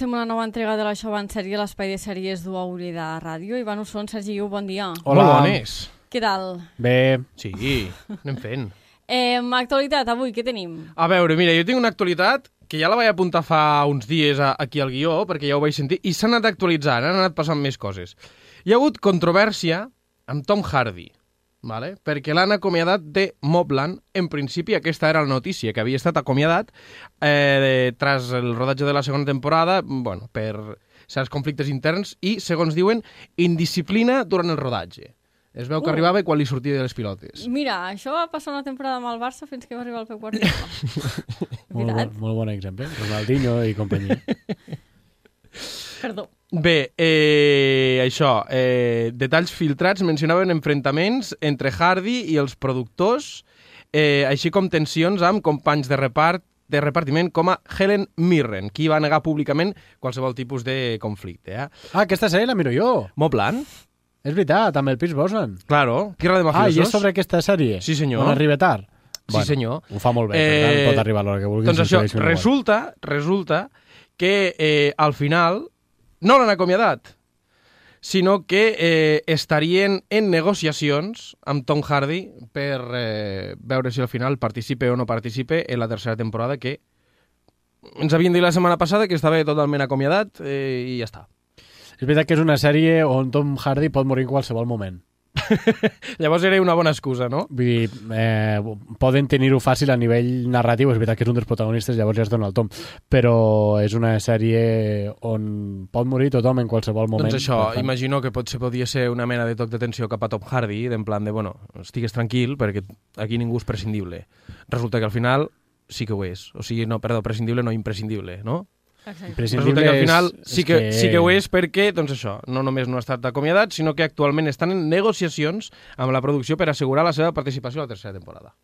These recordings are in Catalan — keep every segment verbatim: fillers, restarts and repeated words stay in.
comencem una nova entrega de la Això va en sèrie, l'espai de sèries d'U A U L I de Ràdio. Ivan Usson, Sergi Iu, bon dia. Hola, bones. Què tal? Bé, sí, anem fent. Eh, actualitat, avui, què tenim? A veure, mira, jo tinc una actualitat que ja la vaig apuntar fa uns dies a, aquí al guió, perquè ja ho vaig sentir, i s'ha anat actualitzant, han anat passant més coses. Hi ha hagut controvèrsia amb Tom Hardy, vale? Perquè l'han acomiadat de Mobland. En principi aquesta era la notícia, que havia estat acomiadat eh, tras el rodatge de la segona temporada, bueno, per certs conflictes interns i, segons diuen, indisciplina durant el rodatge. Es veu que uh. arribava quan li sortia de les pilotes. Mira, això va passar una temporada amb el Barça fins que va arribar el Pep Guardiola. molt, bon, molt bon exemple. Ronaldinho i companyia. Perdó. Bé, eh, això, eh, detalls filtrats mencionaven enfrontaments entre Hardy i els productors, eh, així com tensions amb companys de repart de repartiment com a Helen Mirren, qui va negar públicament qualsevol tipus de conflicte. Eh? Ah, aquesta sèrie la miro jo. Mobland? És veritat, amb el Pierce Brosnan. Claro, Tierra de Mafiosos. Ah, i és sobre aquesta sèrie? Sí, senyor. On arriba tard? Sí, bueno, senyor. Ho fa molt bé, eh, per tant, pot arribar a l'hora que vulguis. Doncs això, resulta, resulta que eh, al final no l'han acomiadat, sinó que eh, estarien en negociacions amb Tom Hardy per eh, veure si al final participe o no participe en la tercera temporada, que ens havien dit la setmana passada que estava totalment acomiadat eh, i ja està. És veritat que és una sèrie on Tom Hardy pot morir en qualsevol moment. Llavors era una bona excusa, no? Vull dir, eh, poden tenir-ho fàcil a nivell narratiu, és veritat que és un dels protagonistes, llavors ja es dona el tom, però és una sèrie on pot morir tothom en qualsevol moment. Doncs això, tant... imagino que potser podia ser una mena de toc d'atenció cap a Tom Hardy, d'en plan de, bueno, estigues tranquil, perquè aquí ningú és prescindible. Resulta que al final sí que ho és. O sigui, no, perdó, prescindible no imprescindible, no? Resulta que al final sí que, que... sí que ho és perquè, doncs això, no només no ha estat acomiadat, sinó que actualment estan en negociacions amb la producció per assegurar la seva participació a la tercera temporada.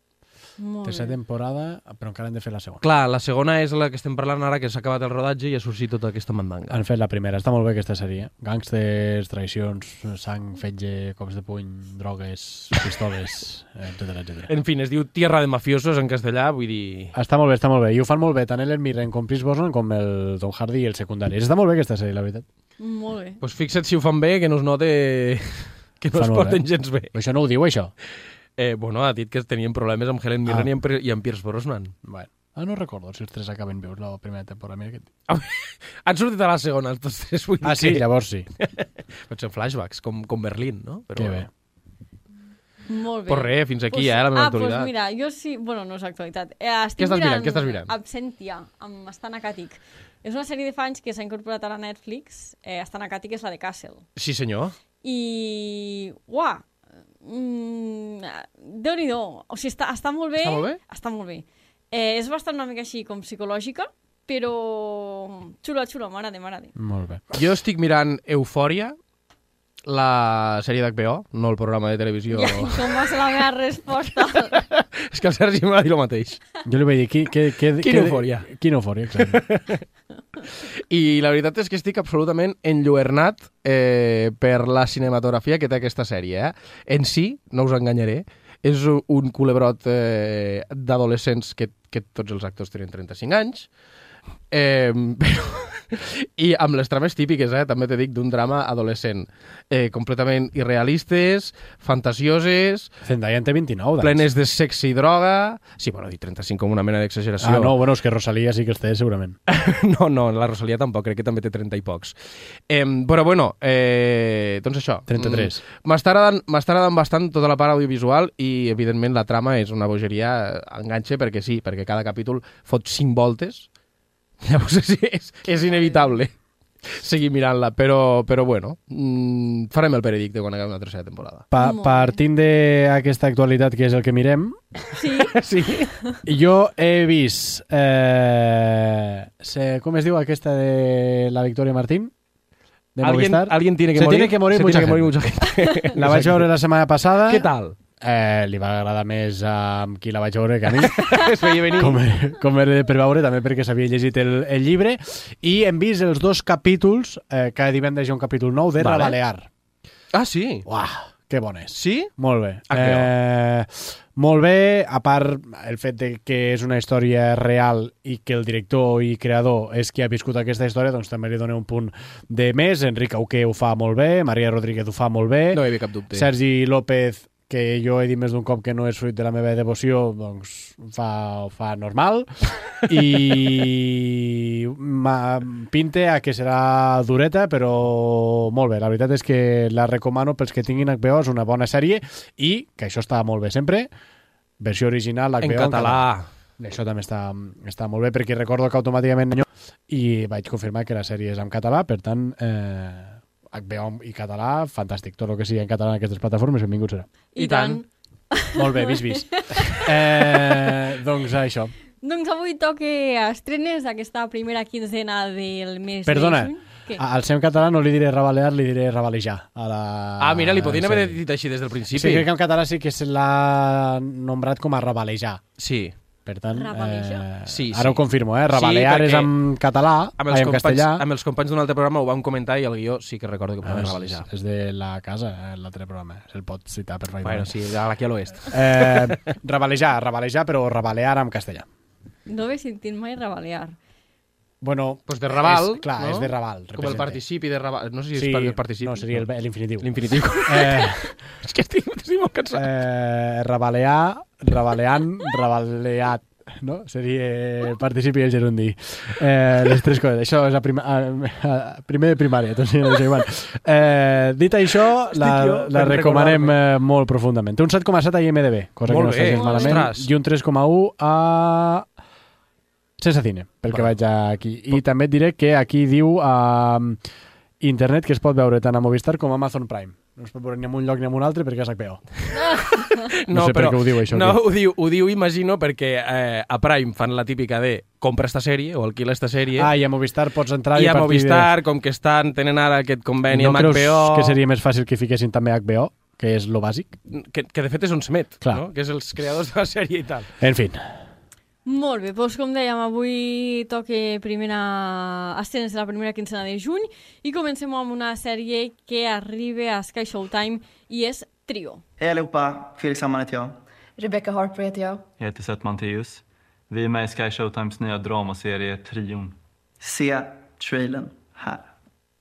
Molt tercera bé. temporada, però encara hem de fer la segona. Clar, la segona és la que estem parlant ara, que s'ha acabat el rodatge i ha sorgit tota aquesta mandanga. Han fet la primera, està molt bé aquesta sèrie. Gàngsters, traïcions, sang, fetge, cops de puny, drogues, pistoles, etcètera, etcètera. En fi, es diu Tierra de Mafiosos en castellà, vull dir... Està molt bé, està molt bé. I ho fan molt bé, tant Helen Mirren com Pierce Brosnan com el Tom Hardy i el secundari. Està molt bé aquesta sèrie, la veritat. Molt bé. Doncs pues fixa't si ho fan bé, que no es note que no es porten gens bé. Però això no ho diu, això? Eh, bueno, ha dit que tenien problemes amb Helen Mirren ah. i, amb, i amb Pierce Brosnan. Bueno. Ah, no recordo si els tres acaben vius la primera temporada. Mira que... ah, han sortit a la segona, els tots tres. Vull dir ah, sí? Que... Llavors sí. Pot ser flashbacks, com, com Berlín, no? Però, que bé. Molt bé. Pues res, fins aquí, pues, eh, la meva ah, actualitat. Ah, doncs mira, jo sí... Bueno, no és actualitat. Eh, estic què estàs mirant? mirant, Què estàs mirant? Absentia, amb Stan Akatic. És una sèrie de fa anys que s'ha incorporat a la Netflix. Eh, Stan Akatic és la de Castle. Sí, senyor. I... Uah! Mm, Déu-n'hi-do. O sigui, està, està molt bé. Està molt bé? Està molt bé. Eh, és bastant una mica així com psicològica, però xula, xula, m'agrada, m'agrada. Molt bé. Jo estic mirant Eufòria, la sèrie d'H B O, no el programa de televisió. Ja, com va ser la meva resposta? És que el Sergi m'ha dit el mateix. Jo li vaig dir, qui, que, que, quina eufòria. Quina eufòria, exacte. I la veritat és que estic absolutament enlluernat eh, per la cinematografia que té aquesta sèrie. Eh? En si, no us enganyaré, és un culebrot eh, d'adolescents que, que tots els actors tenen trenta-cinc anys, eh, però... i amb les trames típiques, eh, també te dic, d'un drama adolescent. Eh, completament irrealistes, fantasioses... Zendaya en té vint-i-nou, doncs. Plenes de sexe i droga... Sí, bueno, dir trenta-cinc com una mena d'exageració. Ah, no, bueno, és que Rosalía sí que els té, segurament. no, no, la Rosalía tampoc, crec que també té trenta i pocs. Eh, però bueno, eh, doncs això. trenta-tres. M'està agradant, m'està agradant bastant tota la part audiovisual i, evidentment, la trama és una bogeria, enganxa, perquè sí, perquè cada capítol fot cinc voltes. Llavors és, és, és inevitable seguir mirant-la, però, però bueno, mmm, farem el veredicte quan acabi la tercera temporada. Pa partint d'aquesta actualitat, que és el que mirem, sí. sí. Jo he vist, eh, se, com es diu aquesta de la Victoria Martín? De ¿Alguien, Movistar. alguien tiene que se morir, tiene que morir, se mucha, tiene que gente. morir mucha gente. La vaig veure la setmana passada. Què tal? Eh, li va agradar més amb qui la vaig veure que a mi. Es veia venir. Com, com era per veure, també perquè s'havia llegit el, el llibre. I hem vist els dos capítols, eh, cada divendres hi ha un capítol nou de vale. Rabalear. Ah, sí? Uah, que bon és. Sí? Molt bé. Ah, eh, Molt bé, a part el fet de que és una història real i que el director i creador és qui ha viscut aquesta història, doncs també li dona un punt de més. Enric Auqué ho fa molt bé, Maria Rodríguez ho fa molt bé, No hi havia cap dubte. Sergi López, que jo he dit més d'un cop que no és fruit de la meva devoció, doncs fa, fa normal. I ma, pinte a que serà dureta, però molt bé. La veritat és que la recomano pels que tinguin H B O, és una bona sèrie i, que això està molt bé sempre, versió original H B O En català. Això també està, està molt bé, perquè recordo que automàticament i vaig confirmar que la sèrie és en català, per tant, eh, H B O i català, fantàstic. Tot el que sigui en català en aquestes plataformes, benvingut serà. I, I tant. tant. Molt bé, vist, vist. Eh, doncs això. Doncs avui toca estrenes d'aquesta primera quinzena del mes Perdona, de juny. Què? al seu català no li diré rabalear, li diré rabalejar. A la... Ah, mira, li podien haver sí. dit així des del principi. Sí, crec que en català sí que se l'ha nombrat com a rabalejar. Sí. Per tant, Rabalejar. eh, Sí, sí. ara ho confirmo, eh? Rabalear Sí, és en català, Amb ai, els, en companys, castellà. amb els companys d'un altre programa ho vam comentar i el guió sí que recordo que Ah, podem és, rabalejar. és de la casa, eh, l'altre programa. Se'l pot citar perfectament. Bueno, sí, aquí a l'oest. Eh, rabalejar, rabalejar, però rabalear en castellà. No he sentit mai rabalear. Bueno, Pues de Raval, és, clar, no? és de Raval. Com el representa. participi de Raval. No sé si Sí, és el participi. no, seria el- l'infinitiu. L'infinitiu. Eh, És que estic, estic molt cansat. eh, rabalear, rabaleant, rabaleat, no? Seria participi i el gerundi. Eh, les tres coses. Això és a prima, a, a, primer de primària, tot sigui igual. Eh, dit això, la, jo la per recomanem recordar-me. eh, molt profundament. Té un set coma set a I M D B, cosa Molt que no està bé, gens malament, ostres. i un tres coma u a Sense Cine, pel que Vale. vaig aquí. I també et diré que aquí diu a internet que es pot veure tant a Movistar com a Amazon Prime. No es pot veure ni en un lloc ni en un altre perquè és H B O. No sé per què ho diu, això, No, aquí. ho diu, ho diu, imagino, perquè eh, a Prime fan la típica de compra esta sèrie o alquila esta sèrie. Ah, i a Movistar pots entrar i, I a partir Movistar, com que estan tenen ara aquest de... conveni No amb creus H B O... que seria més fàcil que fiquessin també H B O, que és lo bàsic? Que, que de fet és on s'emet, Clar. no? Que és els creadors de la sèrie i tal. En fi, Molt bé, doncs com dèiem, avui toca primera estrenes de la primera quinzena de juny i comencem amb una sèrie que arriba a Sky Showtime i és Trio. Hej allihopa, Felix Hammar heter jag. Rebecca Harper heter jag. Jag heter Seth Manteus. Vi är med i Sky Showtimes nya dramaserie Trion. Se trailern här.